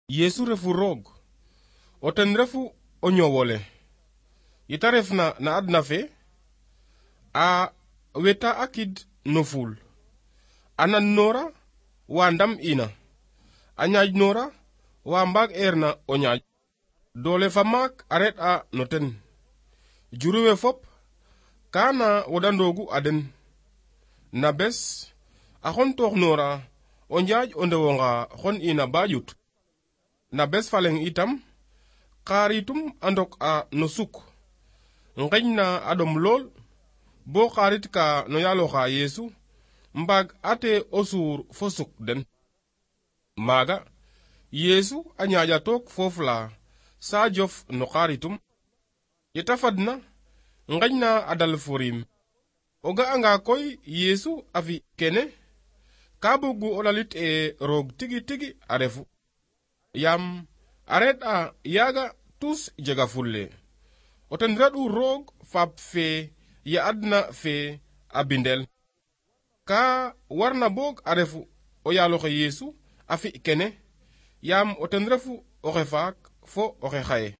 Yesu refu roog o ten refu o ñowole yita refna na adna fe a weta akid no fuul a nan noora wa ndam ina a ñaaj noora wa mbaag eerna o ñaaj doole fa maak a red a no ten juruwe fop kana wodandoogu a den na bes a xon toox noora o njaaj o ndewonga xon ina ba ƴut na bes faleng itam xaaritum a ndok a no suk ngeñ na a ɗom lool bo xaarit ka no yaaloxa Yesu mbaag ate o suur fo suk den maaga Yesu a ñaaƴa took foof la sa jof no xaaritum yeta fadna ngeñ na a dal fo riim o ga'anga koy Yesu a fi kene ka bugu o lalit roog tigi tigi a refu yaam a red a yaaga tus jega fulle o ten reɗ'u roog faap fe ya adna fe a bindel ka warna boog a refu o yaaloxe Yesu a fi kene yaam o ten refu oxe faak fo oxe xaye